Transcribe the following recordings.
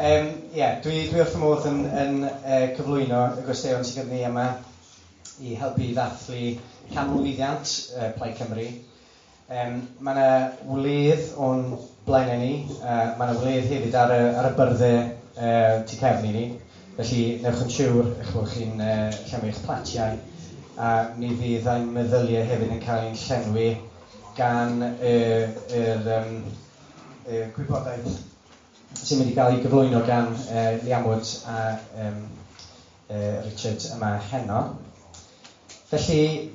Yeah, dwi wrth fy modd yn cyflwyno y gwesteion sydd gyda ni yma i helpu i ddathlu canmlwyddiant Plaid Cymru. Mae yna wledd o'n blaenau ni, mae yna wledd hefyd ar y byrddau tu cefn i ni, felly newch yn siŵr eich bod chi'n llenwi eich platiau, a mi fydd ein meddyliau hefyd yn cael ein llenwi gan yr gwybodaeth sy'n mynd i gael ei gyflwyno gan Leanne Wood a Richard yma heno. Felly,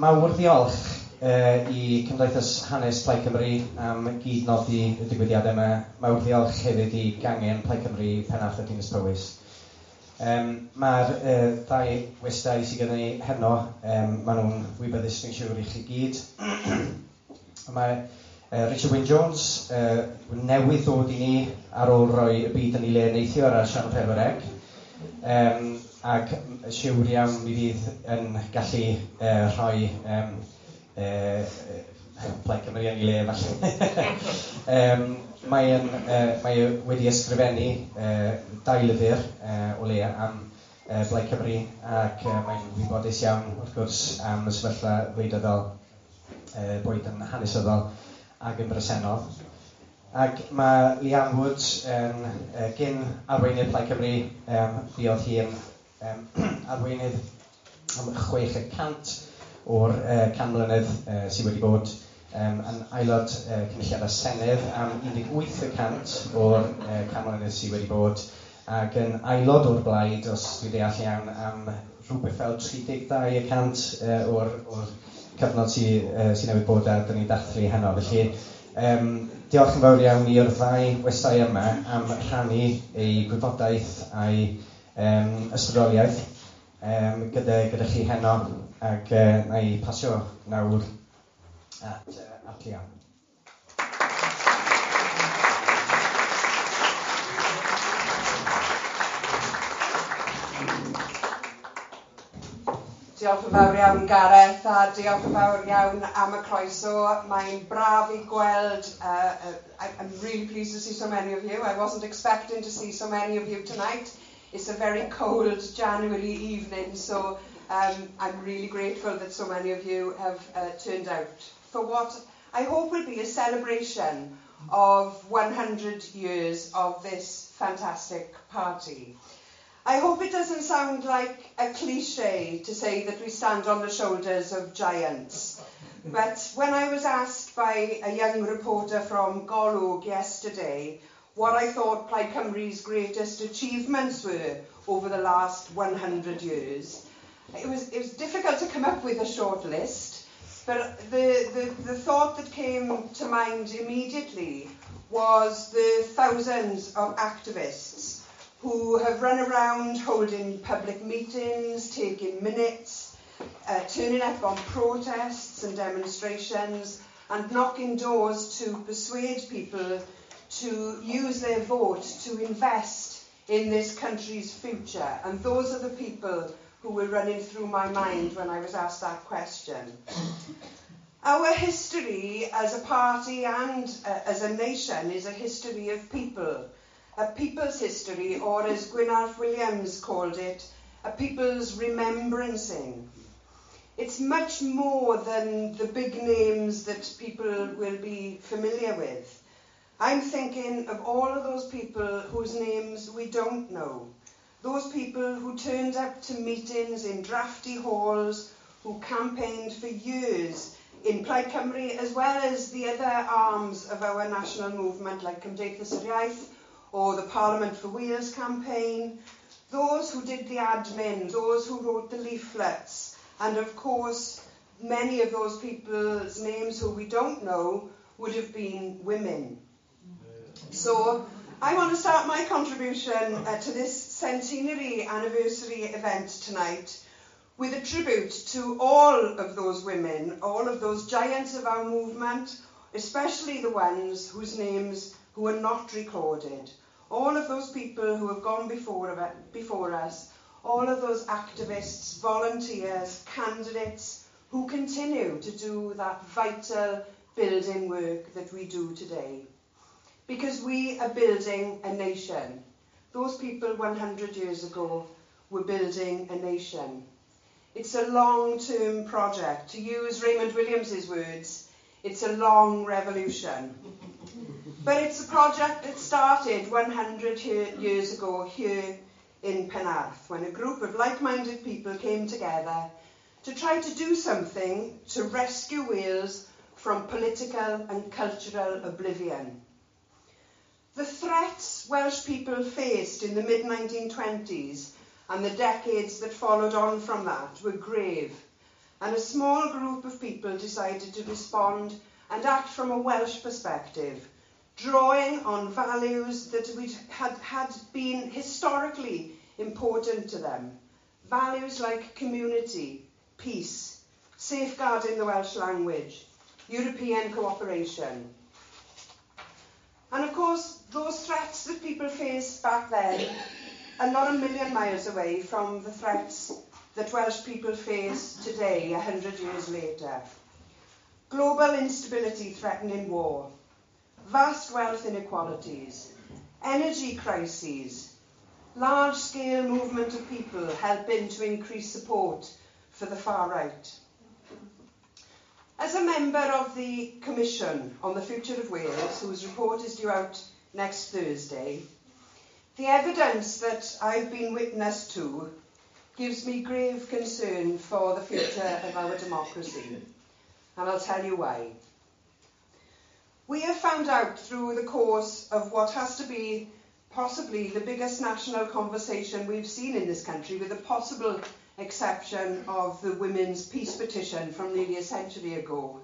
mawr ddiolch i Cymdeithas Hanes Plaid Cymru am gyd-nodi y digwyddiad yma. Mawr ddiolch hefyd i Gangen Plaid Cymru Penarth a Dinas Powys. Mae'r ddau westai sydd gyda ni heno, maen nhw'n wybyddus dwi'n siŵr i chi gyd. Mae Richard Wyn Jones newydd ddod i ni ar ôl rhoi y byd yn ei le neithiwr ar Sianel 4C, ac siŵr iawn mi fydd yn gallu rhoi Plaid Cymru yn ei le falle. Mae wedi ysgrifennu dau lyfr o leia am Blaid Cymru, ac mae'n wybodus iawn wrth gwrs am y sefyllfa wleidyddol, boed yn hanesyddol ac yn bresennol. Ac mae Leanne Wood yn gyn arweinydd Plaid Cymru, fuodd hi yn arweinydd am 6% o'r 100 mlynedd sydd wedi bod, yn aelod Cynulliad a Senedd am 18% o'r 100 mlynedd sydd wedi bod, ac yn aelod o'r blaid, os dwi'n deall iawn, am rhywbeth fel 32% o'r cyfnod sydd newydd bod a dyn ni'n dathlu heno. Felly, diolch yn fawr iawn i'r ddau westai yma am rhannu eu gwybodaeth a'i ysbrydoliaeth gyda chi heno, ac na i pasio nawr at Leanne. Diolch yn fawr iawn, Gareth, a diolch yn fawr iawn am y croeso. Mae'n braf i gweld. I'm really pleased to see so many of you. I wasn't expecting to see so many of you tonight. It's a very cold January evening, so I'm really grateful that so many of you have turned out for what I hope will be a celebration of 100 years of this fantastic party. I hope it doesn't sound like a cliche to say that we stand on the shoulders of giants. But when I was asked by a young reporter from Golwg yesterday what I thought Plaid Cymru's greatest achievements were over the last 100 years, it was difficult to come up with a short list, but the thought that came to mind immediately was the thousands of activists who have run around holding public meetings, taking minutes, turning up on protests and demonstrations, and knocking doors to persuade people to use their vote to invest in this country's future. And those are the people who were running through my mind when I was asked that question. Our history as a party and as a nation is a history of people. A people's history, or as Gwynarth Williams called it, a people's remembrancing. It's much more than the big names that people will be familiar with. I'm thinking of all of those people whose names we don't know. Those people who turned up to meetings in drafty halls, who campaigned for years in Plaid Cymru, as well as the other arms of our national movement like Cymdeithas yr Iaith or the Parliament for Wales campaign, those who did the admin, those who wrote the leaflets, and of course, many of those people's names who we don't know would have been women. So I want to start my contribution to this centenary anniversary event tonight with a tribute to all of those women, all of those giants of our movement, especially the ones whose names who are not recorded, all of those people who have gone before us, all of those activists, volunteers, candidates who continue to do that vital building work that we do today. Because we are building a nation. Those people 100 years ago were building a nation. It's a long-term project. To use Raymond Williams's words, it's a long revolution. But it's a project that started 100 years ago here in Penarth, when a group of like-minded people came together to try to do something to rescue Wales from political and cultural oblivion. The threats Welsh people faced in the mid-1920s and the decades that followed on from that were grave, and a small group of people decided to respond and act from a Welsh perspective, drawing on values that had been historically important to them. Values like community, peace, safeguarding the Welsh language, European cooperation. And of course, those threats that people faced back then are not a million miles away from the threats that Welsh people face today, 100 years later. Global instability threatening war, vast wealth inequalities, energy crises, large-scale movement of people helping to increase support for the far right. As a member of the Commission on the Future of Wales, whose report is due out next Thursday, the evidence that I've been witness to gives me grave concern for the future of our democracy, and I'll tell you why. We have found out through the course of what has to be possibly the biggest national conversation we've seen in this country, with the possible exception of the women's peace petition from nearly a century ago,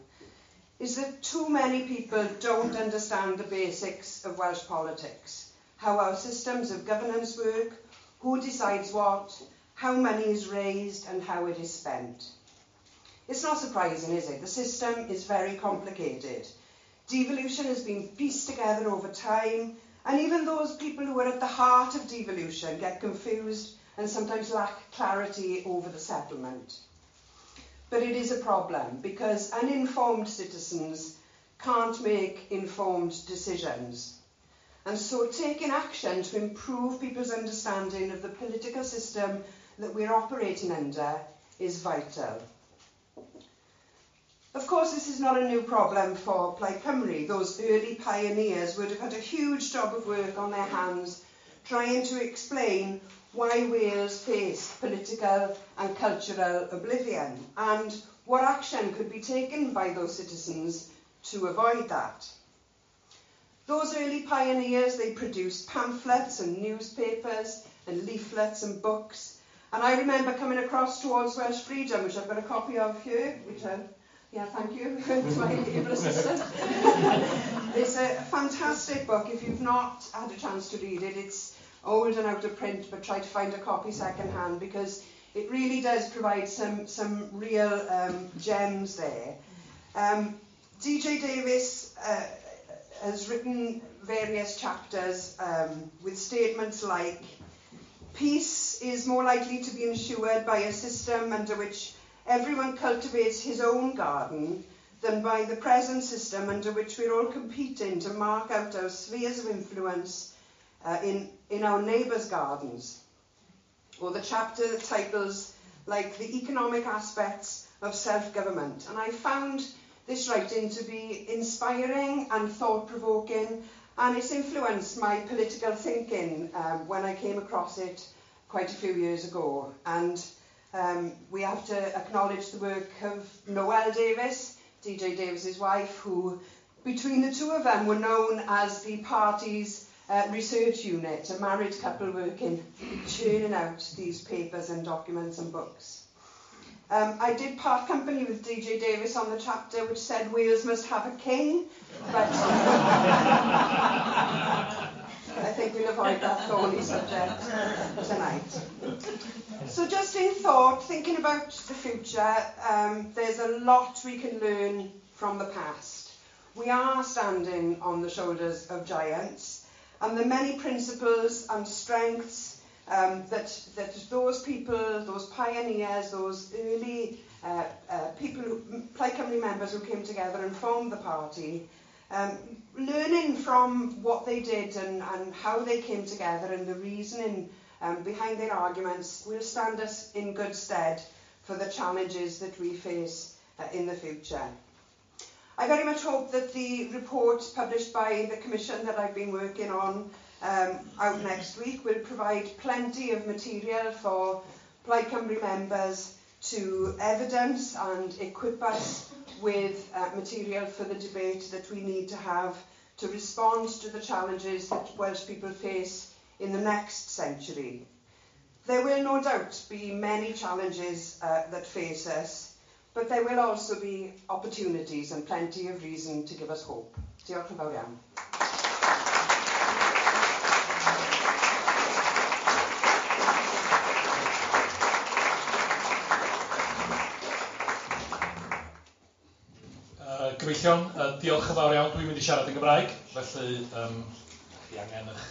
is that too many people don't understand the basics of Welsh politics, how our systems of governance work, who decides what, how money is raised and how it is spent. It's not surprising, is it? The system is very complicated. Devolution has been pieced together over time, and even those people who are at the heart of devolution get confused and sometimes lack clarity over the settlement. But it is a problem because uninformed citizens can't make informed decisions. And so taking action to improve people's understanding of the political system that we're operating under is vital. Of course, this is not a new problem for Plaid Cymru. Those early pioneers would have had a huge job of work on their hands trying to explain why Wales faced political and cultural oblivion and what action could be taken by those citizens to avoid that. Those early pioneers, they produced pamphlets and newspapers and leaflets and books. And I remember coming across Towards Welsh Freedom, which I've got a copy of here, which I, yeah, thank you to my able assistant. It's a fantastic book. If you've not had a chance to read it, it's old and out of print, but try to find a copy secondhand because it really does provide some real gems there. DJ Davies has written various chapters with statements like, peace is more likely to be ensured by a system under which everyone cultivates his own garden than by the present system under which we're all competing to mark out our spheres of influence in our neighbours' gardens. Or the chapter titles like The Economic Aspects of Self-Government. And I found this writing to be inspiring and thought-provoking, and it's influenced my political thinking when I came across it quite a few years ago. And we have to acknowledge the work of Noel Davies, DJ Davies's wife, who between the two of them were known as the party's research unit, a married couple working, churning out these papers and documents and books. I did part company with DJ Davies on the chapter which said Wales must have a king, but I think we'll avoid that thorny subject tonight. So just in thought, thinking about the future, there's a lot we can learn from the past. We are standing on the shoulders of giants, and the many principles and strengths that those people, those pioneers, those early people, Plaid Cymru members who came together and formed the party, Learning from what they did and how they came together and the reasoning behind their arguments will stand us in good stead for the challenges that we face in the future. I very much hope that the report published by the Commission that I've been working on out next week will provide plenty of material for Plaid Cymru members to evidence and equip us with material for the debate that we need to have to respond to the challenges that Welsh people face in the next century. There will no doubt be many challenges that face us, but there will also be opportunities and plenty of reason to give us hope. Diolch yn fawr iawn. Gyfeillion, diolch yn fawr iawn. Dwi'n mynd i siarad yn Gymraeg, felly chi angen eich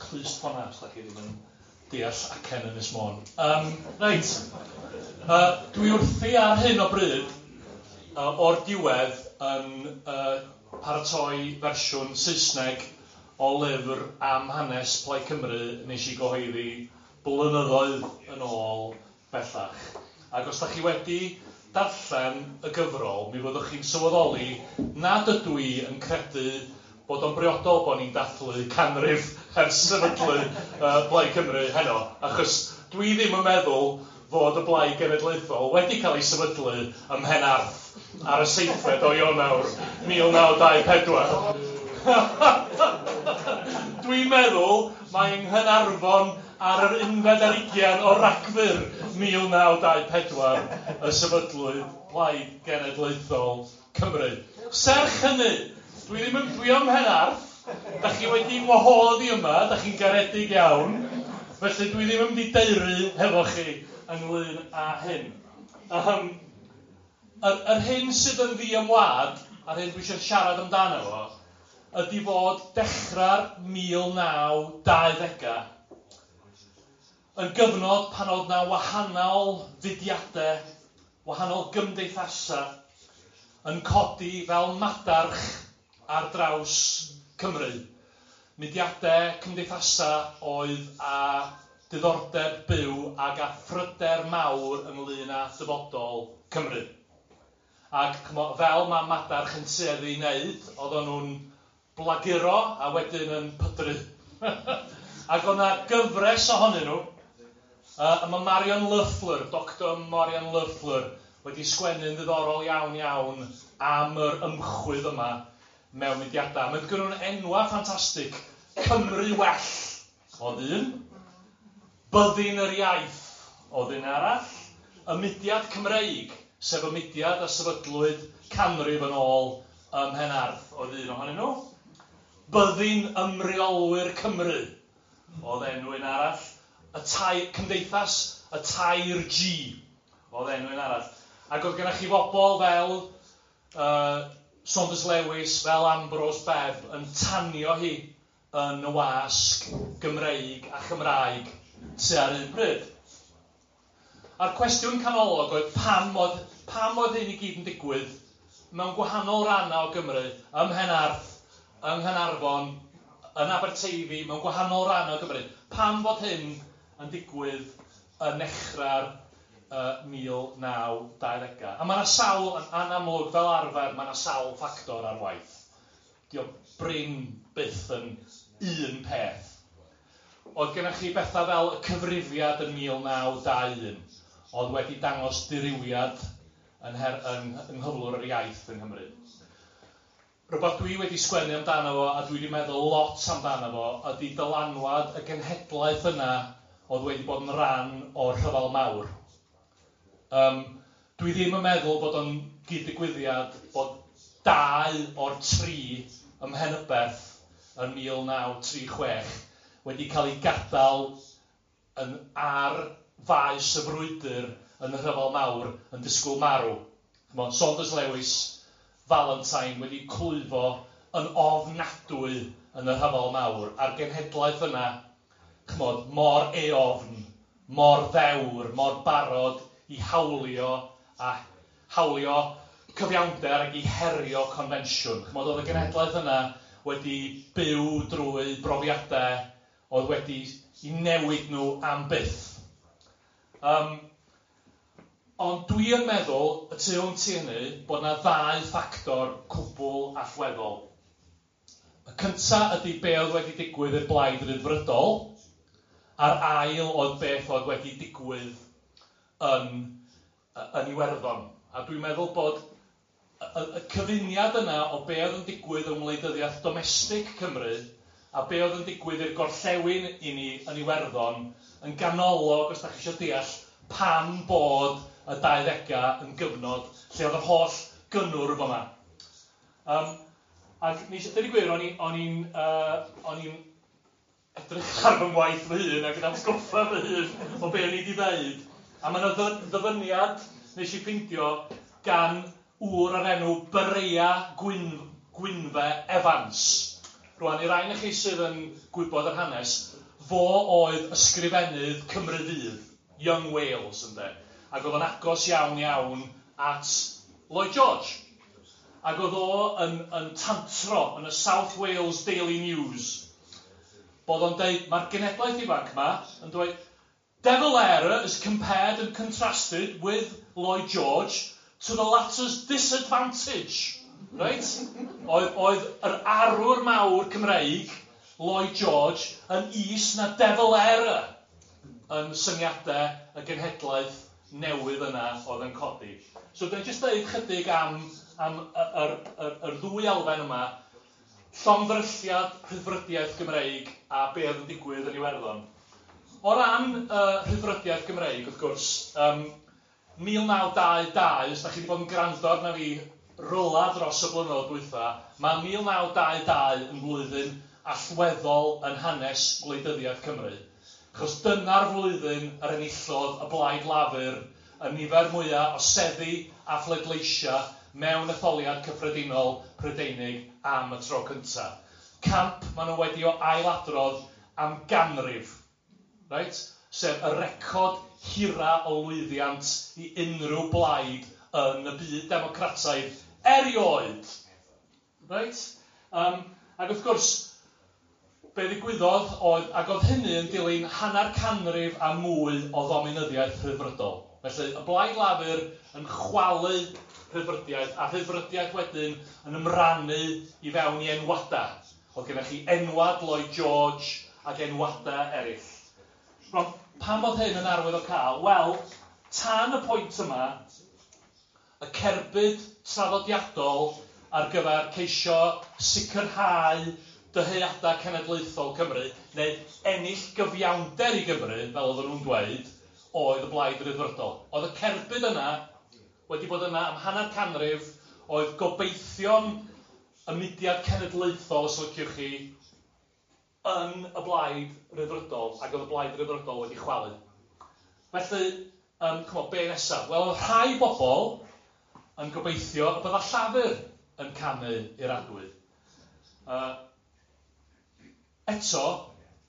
clust hwnna os da chi ddim yn deall acen Ynys Môn. Reit, dwi wrthi ar hyn o bryd o'r diwedd yn paratoi fersiwn Saesneg o lyfr am hanes Plaid Cymru nes i gyhoeddi blynyddoedd yn ôl bellach. Ac os da chi wedi darllen y gyfrol, mi fyddwch chi'n sylweddoli nad ydw i yn credu bod o'n briodol bod ni'n dathlu canrif ers sefydlu Plaid Cymru heno, achos dwi ddim yn meddwl fod y Blaid Genedlaethol wedi cael ei sefydlu ym Mhenarth ar y 7 o Ionawr 1924. Dwi'n meddwl mae yng Nghaernarfon ar yr 21 o Ragfyr 1924 y sefydlwyd Plaid Genedlaethol Cymru. Serch hynny, dwi ddim yn dwi ym Mhenarth, da chi wedi ngwahodd i yma, da chi'n garedig iawn, felly dwi ddim yn mynd i deuru hefo chi ynglyn â hyn. Yr hyn sydd yn ddiymwad, a'r hyn dwi eisiau siarad amdano fo, ydy fod dechrau'r 1920au yn gyfnod pan oedd na wahanol fudiadau, wahanol gymdeithasau yn codi fel madarch ar draws Cymru. Mudiadau cymdeithasau oedd â diddordeb byw ac â phryder mawr ynglyn â dyfodol Cymru. Ac fel mae madarch yn tueddu i wneud, oedden nhw'n blaguro a wedyn yn pydru. Ac oedd 'na gyfres ohonyn nhw. A mae Marion Löffler, Dr Marion Löffler, wedi sgwennu'n ddiddorol iawn iawn am yr ymchwydd yma mewn mudiadau. Mae gen nhw'n enwa ffantastig. Cymru Well oedd un. Byddin yr Iaith oedd un arall. Y Mudiad Cymreig, sef y mudiad a sefydlwyd canrif yn ôl ym Mhenarth, oedd un ohonyn nhw. Byddin Ymreolwyr Cymru oedd enw un arall. Y tai, Cymdeithas y Tair G oedd enw un arall. Ac oedd gennych chi bobl fel Saunders Lewis, fel Ambrose Bebb yn tanio hi yn y wasg Gymreig a Chymraeg tua'r un pryd. A'r cwestiwn canolog oedd pam oedd hyn i gyd yn digwydd mewn gwahanol rannau o Gymru, ym Mhenarth, yng Nghaernarfon, yn Aberteifi, mewn gwahanol rannau o Gymru. Pam fod hyn yn digwydd yn nechrau'r 1920au? A mae yna sawl, yn amlwg fel arfer, mae yna sawl ffactor ar waith. Dio brin byth yn un peth. Oedd gennych chi bethau fel y cyfrifiad yn 1921, oedd wedi dangos dirywiad yng nghyflwr yr iaith yng Nghymru. Rhywbeth dwi wedi sgwennu amdano fo, a dwi wedi meddwl lot amdano fo, ydy dylanwad y genhedlaeth yna oedd wedi bod yn rhan o'r rhyfel mawr. Dwi ddim yn meddwl bod o'n gyd-ddigwyddiad bod 2 o'r 3 ym Mhenyberth yn 1936 wedi cael ei gadael yn ar faes y frwydr yn y rhyfel mawr yn disgwyl marw. Ch'mod, Saunders Lewis, Valentine wedi clwyfo yn ofnadwy yn y rhyfel mawr, a'r genhedlaeth yna, ch'mod, mor eofn, mor ddewr, mor barod i hawlio a hawlio cyfiawnder ac i herio confensiwn. Ch'mod, oedd y genhedlaeth yna wedi byw drwy brofiadau oedd wedi i newid nhw am byth. Ond dwi yn meddwl, y tu hwnt i hynny, bod yna ddau ffactor cwbl allweddol. Y cynta ydy be oedd wedi digwydd i'r Blaid Ryddfrydol, a'r ail oedd beth oedd wedi digwydd yn Iwerddon. A dwi'n meddwl bod y cyfuniad yna o be oedd yn digwydd yng ngwleidyddiaeth domestig Cymru a be oedd yn digwydd i'r gorllewin i ni yn Iwerddon yn ganolog, os da chi eisiau deall, pam bod y 20au yn gyfnod lle oedd yr holl gynnwrf yma. Ac nes, dweud y gwir, o'n i'n edrych ar fy ngwaith fy hun ac yn atgoffa fy hun o be o'n i wedi dweud. A mae yna ddyfyniad nes i ffeindio gan ŵr o'r enw Berea Gwynfe Evans. Rwan, i rai o chi sydd yn gwybod yr hanes, fo oedd ysgrifennydd Cymru Fydd, Young Wales, ynde. Ac oedd o'n agos iawn iawn at Lloyd George. Ac oedd o yn tantro yn y South Wales Daily News. Bod o'n deud, mae'r genedlaeth ifanc yma yn dweud, "De Valera is compared and contrasted with Lloyd George to the latter's disadvantage." Right? Oedd yr arwr mawr Cymreig, Lloyd George, yn is na De Valera yn syniadau y genhedlaeth newydd yna oedd yn codi. So dwi'n jyst dweud chydig am yr ddwy elfen yma, llongddrylliad rhyddfrydiaeth Gymreig a be oedd yn digwydd yn Iwerddon. O ran rhyddfrydiaeth Gymreig, wrth gwrs, 1922, os da chi wedi bod yn gwrando arna fi rwla dros y blynyddoedd dwytha, mae 1922 yn flwyddyn allweddol yn hanes gwleidyddiaeth Cymru. Achos dyna'r flwyddyn yr enillodd y Blaid Lafur y nifer mwyaf o seddi a phleidleisiau mewn etholiad cyffredinol Prydeinig am y tro cyntaf. Camp maen nhw wedi o ailadrodd am ganrif. Right? Sef y record hira o lwyddiant i unrhyw blaid yn y byd democrataidd erioed. Right? Ac wrth gwrs, be ddigwyddodd oedd, ac oedd hynny yn dilyn hanner canrif a mwy o ddominyddiaeth rhyddfrydol. Felly, y Blaid Lafur yn chwalu rhyddfrydiaeth, a rhyddfrydiaeth wedyn yn ymrannu i fewn i enwadau. Oedd gennych chi enwad Lloyd George ac enwadau eraill. Rwan, pam oedd hyn yn arwydd o cael? Wel, tan y pwynt yma, y cerbyd traddodiadol ar gyfer ceisio sicrhau dyheadau cenedlaethol Cymru, neu ennill gyfiawnder i Gymru, fel oedden nhw'n dweud, oedd y Blaid Ryddfrydol. Oedd y cerbyd yna wedi bod yna am hanner canrif, oedd gobeithion y mudiad cenedlaethol, os liciwch chi, yn y Blaid Ryddfrydol, ac oedd y Blaid Ryddfrydol wedi chwalu. Felly, ch'mo, be nesaf? Wel, oedd rhai bobl yn gobeithio y bydda Llafur yn camu i'r adwy. Eto,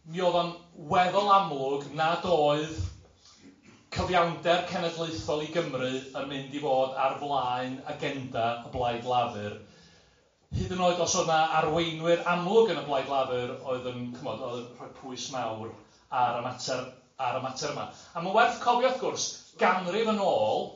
mi oedd o'n weddol amlwg nad oedd cyfiawnder cenedlaethol i Gymru yn mynd i fod ar flaen agenda y Blaid Lafur. Hyd yn oed os oedd yna arweinwyr amlwg yn y Blaid Lafur oedd yn, ch'mod, oedd yn rhoi pwys mawr ar y mater yma. A mae'n werth cofio, wrth gwrs, ganrif yn ôl,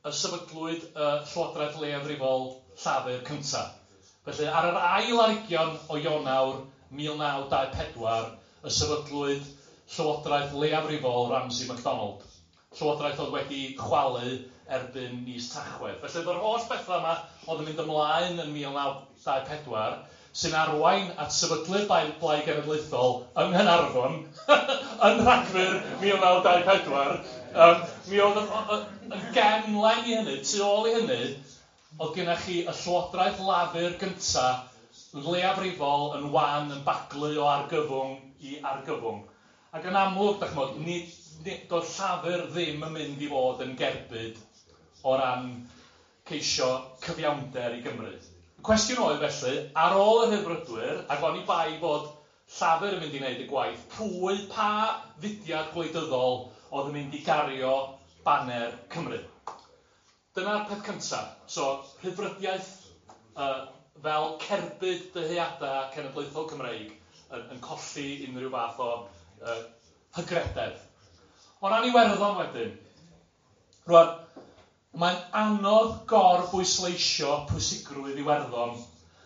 y sefydlwyd y Llywodraeth Leiafrifol Llafur cyntaf. Felly, ar yr ail ar hugian o Ionawr 1924, y sefydlwyd Llywodraeth Leiafrifol Ramsay MacDonald. Llywodraeth oedd wedi chwalu erbyn mis Tachwedd. Felly, yr holl bethau yma oedd yn mynd ymlaen yn 1924, sy'n arwain at sefydlu'r Blaid Genedlaethol yng Nghaernarfon yn Rhagfyr 1924. Mi oedd yn gefnlen i hynny, tu ôl i hynny, oedd gennych chi y Llywodraeth Lafur gyntaf yn leiafrifol, yn wan, yn baglu o argyfwng i argyfwng. Ac yn amlwg, da ch'mod, nid, doedd Llafur ddim yn mynd i fod yn gerbyd o ran ceisio cyfiawnder i Gymru. Y cwestiwn oedd felly, ar ôl y Rhyddfrydwyr, ac oni bai bod Llafur yn mynd i wneud y gwaith, pwy, pa fudiad gwleidyddol oedd yn mynd i gario baner Cymru? Dyna'r peth cyntaf. So, rhyddfrydiaeth fel cerbyd dyheadau cenedlaethol Cymreig yn colli unrhyw fath o hygrededd. O ran Iwerddon wedyn, rwan, mae'n anodd gorbwysleisio pwysigrwydd Iwerddon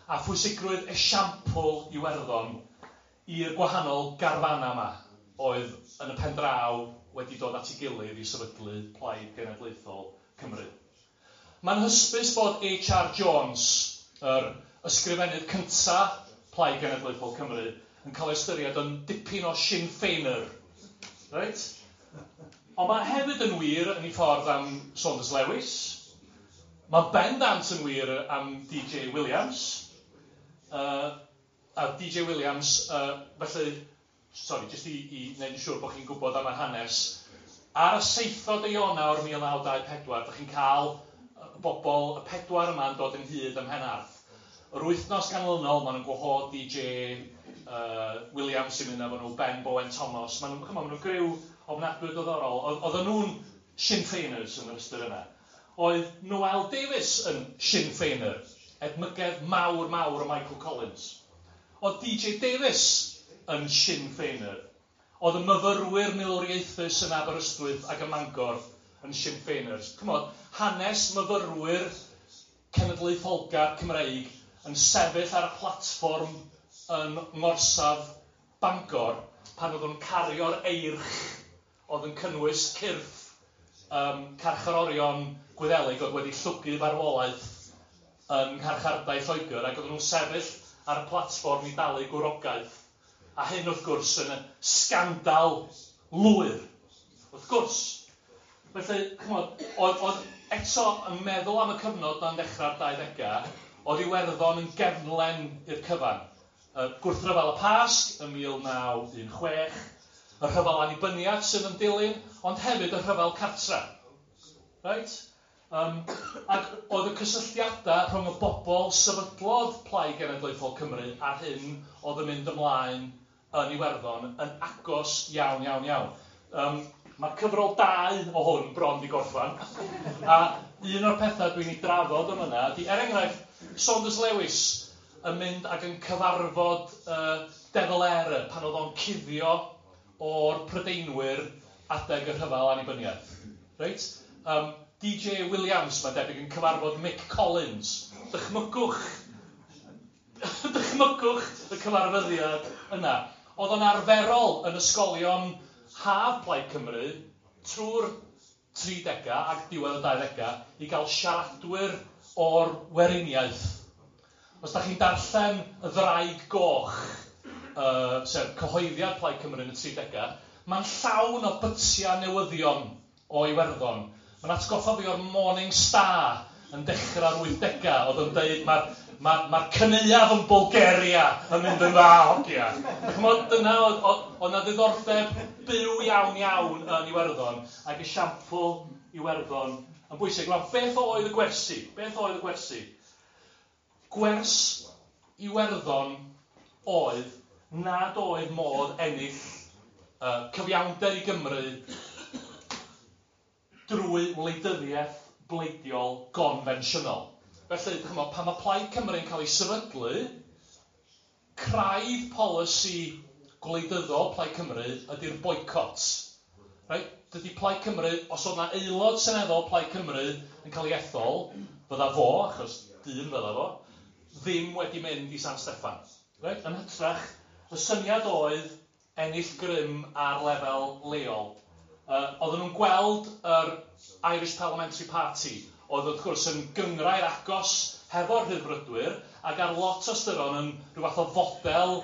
a phwysigrwydd esiampl Iwerddon i'r gwahanol garfanau yma oedd yn y pen draw wedi dod at ei gilydd i sefydlu Plaid Genedlaethol Cymru. Mae'n hysbys bod H.R. Jones, yr ysgrifennydd cynta Plaid Genedlaethol Cymru, yn cael ei ystyried yn dipyn o Sinn Féiner. Right? Ond mae hefyd yn wir yn ei ffordd am Saunders Lewis. Mae bendant yn wir am DJ Williams. A DJ Williams, felly, sorry, jyst i wneud yn siŵr bod chi'n gwybod am yr hanes, ar y 7 Ionawr 1924, dych chi'n cael y bobl, y pedwar yma yn dod ynghyd ym Mhenarth. Yr wythnos ganlynol, maen nhw'n gwahodd DJ Williams sy'n mynd efo nhw, Ben Bowen Thomas. Maen nhw'n ma nhw griw ofnadwy diddorol. Oedden nhw'n Sinn Féiners yn yr ystyr yna. Oedd Noel Davies yn Sinn Féiner, edmygedd mawr mawr o Michael Collins. Oedd DJ Davies yn Sinn Féiner. Oedd y myfyrwyr milwriaethus yn Aberystwyth ac ym Mangor yn Sinn Féiners. Chymod, hanes myfyrwyr cenedlaetholgar Cymreig yn sefyll ar y platfform yn ngorsaf Bangor pan oedd nhw'n cario'r eirch oedd yn cynnwys cyrff carcharorion Gwyddelig oedd wedi llwgu farwolaeth yn ngharchardai Lloegr, ac oedden nhw'n sefyll ar y platfform i dalu gwrogaeth. A hyn, wrth gwrs, yn y sgandal lwyr. Wrth gwrs. Felly, chymod, oedd eto yn meddwl am y cyfnod na'n dechrau'r 20au, oedd Iwerddon yn gefnlen i'r cyfan. Gwrthryfel y Pasg ym 1916, y rhyfel annibyniaeth sydd yn dilyn, ond hefyd y rhyfel cartra. Right? Ac oedd y cysylltiadau rhwng y bobl sefydlodd Plaid Genedlaethol Cymru a'r hyn oedd yn mynd ymlaen yn Iwerddon yn agos iawn, iawn, iawn. Mae cyfrol 2 o hwn bron di gorffan. A un o'r pethau dwi'n ei drafod am yna ydy, er enghraifft, Saunders Lewis yn mynd ac yn cyfarfod De Valera pan oedd o'n cuddio o'r Prydeinwyr adeg y rhyfel annibyniaeth. Reit? DJ Williams, mae'n debyg, yn cyfarfod Mick Collins. Dychmygwch y cyfarfyddiad yna. Oedd o'n arferol yn ysgolion haf Plaid Cymru trwy'r 30au ac diwedd y 20au i gael siaradwyr o'r weriniaeth. Os da chi'n darllen y Ddraig Goch, sef cyhoeddiad Plaid Cymru yn y 30au, mae'n llawn o bytiau newyddion o Iwerddon. Mae'n atgoffa fi o'r Morning Star yn dechrau'r 80au, oedd yn deud mae'r cyneuaf yn Bulgaria yn mynd yn dda, hogia. Chymod, dyna oedd 'na ddiddordeb byw iawn iawn yn Iwerddon, ac esiampl Iwerddon yn bwysig. Rwan, beth oedd y gwersi? Beth oedd y gwersi? Gwers Iwerddon oedd nad oedd modd ennill cyfiawnder i Gymru drwy wleidyddiaeth bleidiol gonfensiynol. Felly, chymod, pan mae Plaid Cymru yn cael ei sefydlu, craidd polisi gwleidyddol Plaid Cymru ydy'r boycott. Right? Dydy Plaid Cymru, os oedd 'na aelod seneddol Plaid Cymru yn cael ei ethol, fydda fo, achos dyn fydda fo, ddim wedi mynd i San Steffan. Right? Yn hytrach, y syniad oedd ennill grym ar lefel leol. Oedden nhw'n gweld yr Irish Parliamentary Party, oedd wrth gwrs yn gynghrair agos hefo'r Rhyddfrydwyr, ac ar lot o ystyron yn rhyw fath o fodel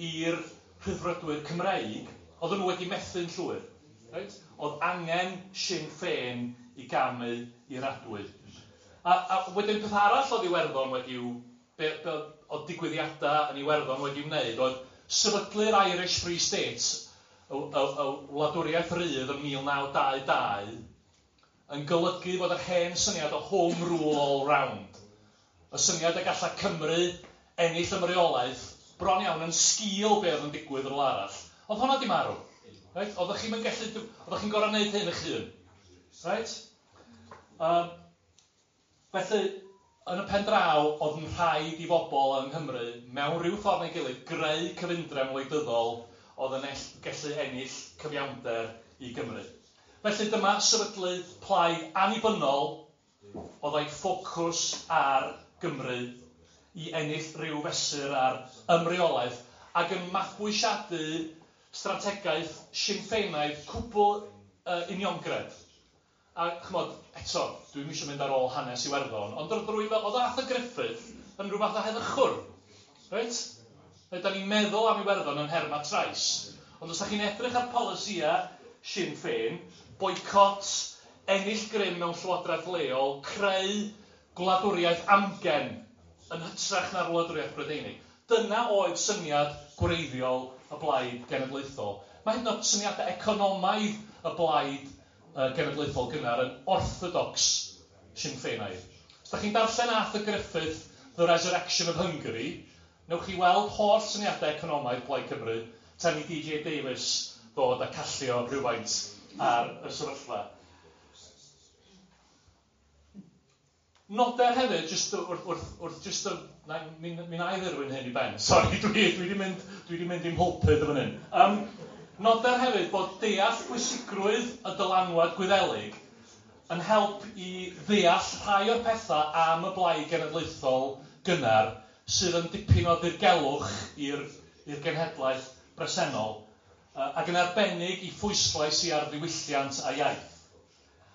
i'r Rhyddfrydwyr Cymreig, oedden nhw wedi methu'n llwyr. Right? Oedd angen Sinn Féin i gamu i'r adwy. A wedyn peth arall oedd Iwerddon wedi'w, oedd digwyddiadau yn Iwerddon wedi'w wneud, oedd sefydlu'r Irish Free State, y wladwriaeth rydd yn 1922, yn golygu bod yr hen syniad o home rule all round, y syniad y gallai Cymru ennill ymreolaeth bron iawn yn sgil be oedd yn digwydd yn rhywle arall. Oedd hwnna di marw. Right? Oeddech chi'n gallu, oeddech chi'n gorfod wneud hyn eich hun. Right? Felly, Yn y pen draw, oedd yn rhaid i bobl yng Nghymru, mewn rhyw ffordd neu gilydd, greu cyfundrefn wleidyddol oedd yn gallu ennill cyfiawnder i Gymru. Felly dyma sefydlu plaid annibynnol oedd â'i ffocws ar Gymru i ennill rhyw fesur ar ymreolaeth ac yn mabwysiadu strategaeth Sinn Féinaidd cwbl uniongred. A ch'mod, eto, dwi'm eisiau mynd ar ôl hanes Iwerddon, ond roedd rhywun fel, oedd Arthur Griffith yn rhyw fath o heddychwr, reit? Da ni'n meddwl am Iwerddon yn nhermau trais, ond os da chi'n edrych ar polisïau Sinn Féin, boicot, ennill grym mewn llywodraeth leol, creu gwladwriaeth amgen yn hytrach na'r wladwriaeth Brydeinig. Dyna oedd syniad gwreiddiol y Blaid Genedlaethol. Mae hyd yn oed syniadau economaidd y Blaid Genedlaethol gynnar yn orthodox Sinn Féinaidd. Os da chi'n darllen Arthur Griffith, The Resurrection of Hungary, newch chi weld holl syniadau economaidd Plaid Cymru tan i DJ Davies ddod a callio rhywfaint ar y sefyllfa. Noder hefyd, jyst wrth, wrth, wrth jyst y, na, mi, mi na i ddirwyn hyn i ben, sori, dwi wedi mynd i'm mhulpud yn fan hyn. Noder hefyd bod deall pwysigrwydd y dylanwad Gwyddelig yn help i ddeall rhai o'r pethau am y Blaid Genedlaethol gynnar sydd yn dipyn o ddirgelwch i'r genhedlaeth bresennol, ac yn arbennig i phwyslais i ar ddiwylliant a iaith.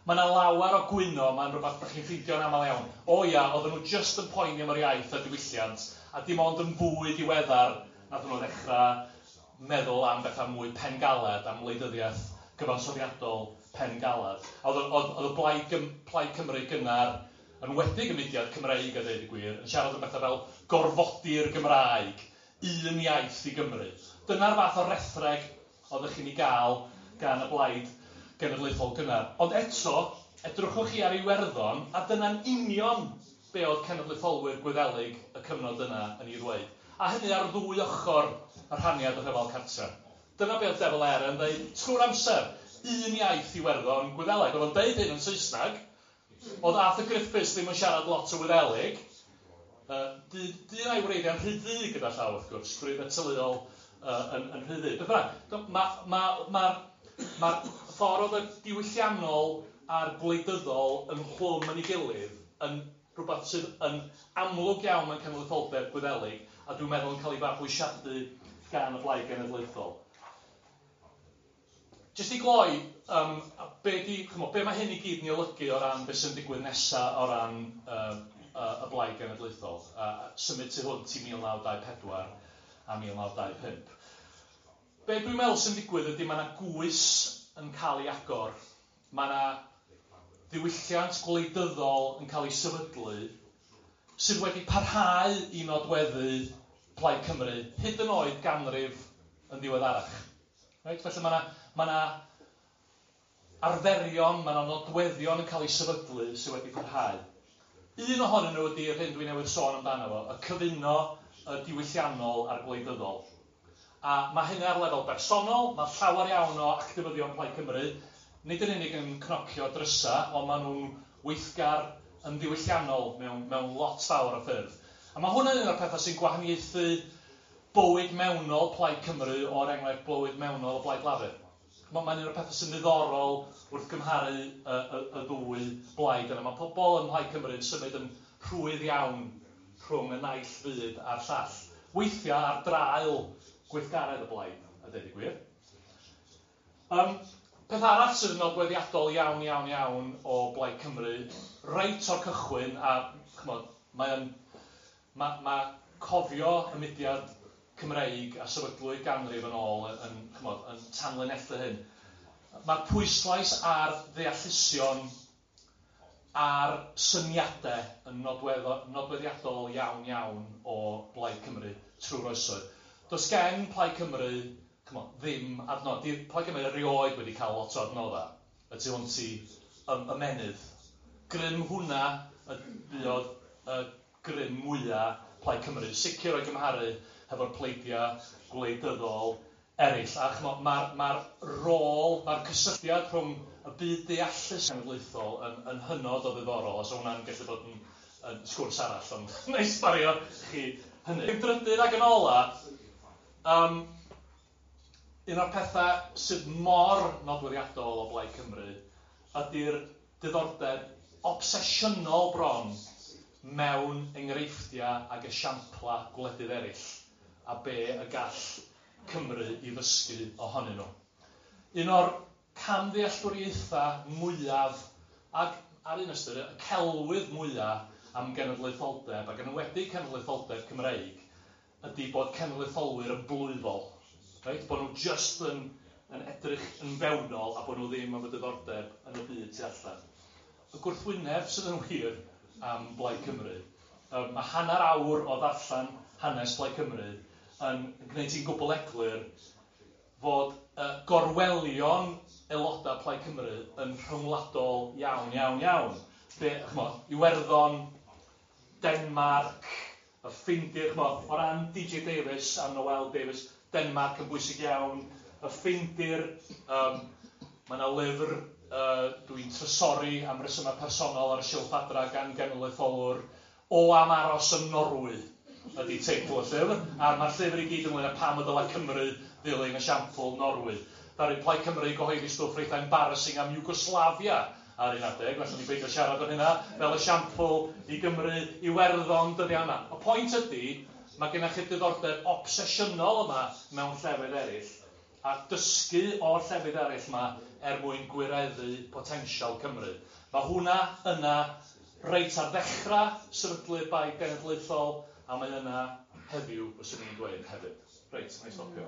Mae yna lawer o gwyno, mae'n rhywbeth ydych chi'n ffeindio'n aml iawn. O ia, oedden nhw jyst yn poeni am yr iaith a diwylliant, a dim ond yn fwy diweddar nath nhw ddechrau meddwl am bethau mwy pengaled, am wleidyddiaeth gyfansoddiadol pengaled. Oedd y Plaid Cymru gynnar, yn wedig y mudiad Cymreig a dweud y gwir, yn siarad am bethau fel gorfodi'r Gymraeg, un iaith i Gymru. Dyna'r fath o rethreg oeddech chi'n ei gael gan y Blaid Genedlaethol gynnar. Ond eto, edrychwch chi ar Iwerddon, a dyna'n union be oedd cenedlaetholwyr Gwyddelig y cyfnod yna yn ei ddweud. A hynny ar ddwy ochr y rhaniad y rhyfel cartre. Dyna be oedd De Valera yn dweud trwy'r amser, un iaith Iwerddon Gwyddeleg. Oedd o'n deud hyn yn Saesneg, oedd Arthur Griffiths ddim yn siarad lot o Wyddelig. Dyn a'i wreiddiau'n rhy ddu gyda llaw, wrth gwrs, gwreiddiau teuluol yn rhy ddu. Beth bynnag, mae'r ffordd oedd y diwylliannol a'r gwleidyddol yn hlwm yn ei gilydd yn rhywbeth sydd yn amlwg iawn mewn cenedlaetholdeb Gwyddelig, a dwi'n meddwl yn cael ei fabwysiadu gan y Blaid Genedlaethol. Jyst i gloi, be mae hyn i gyd yn ei olygu o ran beth sy'n digwydd nesaf o ran y Blaid Genedlaethol, symud tu hwnt i 1924 a 1925. Be dwi'n meddwl sy'n digwydd ydy mae yna gwys yn cael ei agor, mae yna ddiwylliant gwleidyddol yn cael ei sefydlu sydd wedi parhau i nodweddu Plaid Cymru hyd yn oed ganrif yn ddiweddarach. Reit? Felly mae yna arferion, mae yna nodweddion yn cael ei sefydlu sydd wedi parhau. Un ohonyn nhw ydy'r hyn dwi newydd sôn amdano fo, y cyfuno y diwylliannol a'r gwleidyddol. A mae hynny ar lefel bersonol, mae llawer iawn o actifyddion Plaid Cymru, nid yn unig yn cnocio drysa, ond maen nhw'n weithgar yn ddiwylliannol mewn lot fawr o ffyrdd. A mae hwnna'n un o'r pethau sy'n gwahaniaethu bywyd mewnol Plaid Cymru o'r enghraifft bywyd mewnol y Blaid Lafur. Mae'n un o'r pethau sy'n ddiddorol wrth gymharu y ddwy blaid yna. Mae pobl ym Mhlaid Cymru yn symud yn rhwydd iawn rhwng y naill fyd a'r llall. Weithiau ar draul gweithgaredd y blaid, a dweud y gwir. Peth arall sydd yn nodweddiadol iawn, iawn, iawn o Blaid Cymru, reit o'r cychwyn, a ch'mod, mae cofio y mudiad Cymreig a sefydlwyd ganrif yn ôl yn tanlinellu hyn. Mae'r pwyslais ar ddeallusion a'r syniadau yn nodweddiadol iawn iawn o Blaid Cymru trwy'r oesoedd. Does gen Plaid Cymru ddim adnodd. Di Plaid Cymru erioed wedi cael lot o adnoddau y tu hwnt i ymennydd. Grym hwnna y buodd y grym mwyaf Plaid Cymru, sicr o'i gymharu hefo'r pleidiau gwleidyddol eraill. A ch'mo, mae'r rôl, mae'r cysylltiad rhwng y byd deallus cenedlaethol yn hynod o ddiddorol, a so hwnna'n gallu bod yn yn sgwrs arall, ond wna i sbario chi hynny. Yn drydydd ac yn ola, un o'r pethau sydd mor nodweddiadol o Blaid Cymru ydy'r diddordeb obsesiynol bron mewn enghreifftiau ac esiamplau gwledydd eraill a be y gall Cymru i ddysgu ohonyn nhw. Un o'r camddealltwriaethau mwyaf ac ar un ystyr y celwydd mwyaf am genedlaetholdeb ac yn enwedig cenedlaetholdeb Cymreig ydy bod cenedlaetholwyr yn blwyfol. Reit? Bod nhw just yn edrych yn fewnol a bod nhw ddim efo diddordeb yn y byd tu allan. Y gwrthwyneb sydd yn wir am Blaid Cymru. Mae hanner awr o ddarllen hanes Plaid Cymru yn gwneud ti'n gwbl eglur fod gorwelion aelodau Plaid Cymru yn rhyngwladol iawn, iawn, iawn. Be, ch'mo, Iwerddon, Denmark, y Ffindir, ch'mo, o ran DJ Davies a Noel Davies, Denmark yn bwysig iawn, y Ffindir, mae yna lyfr dwi'n trysori am resymau personol ar y silff adra gan genedlaetholwr o am aros yn Norwy ydy teitl y llyfr, a mae'r llyfr i gyd ynglyn â pam y dylai Cymru ddilyn esiampl Norwy. Ddaru Plaid Cymru gyhoeddi stwff reit embarrassing am Yugoslavia ar un adeg, felly ni beidio siarad am hynna, fel esiampl i Gymru, Iwerddon, dyddiau yma. Y pwynt ydy, mae gennych chi diddordeb obsesiynol yma mewn llefydd eraill, a dysgu o'r llefydd eraill yma er mwyn gwireddu potensial Cymru. Mae hwnna yna reit ar ddechrau sefydlu'r Blaid Genedlaethol, a mae yna heddiw, fyswn i'n dweud hefyd. Reit, na i stopio.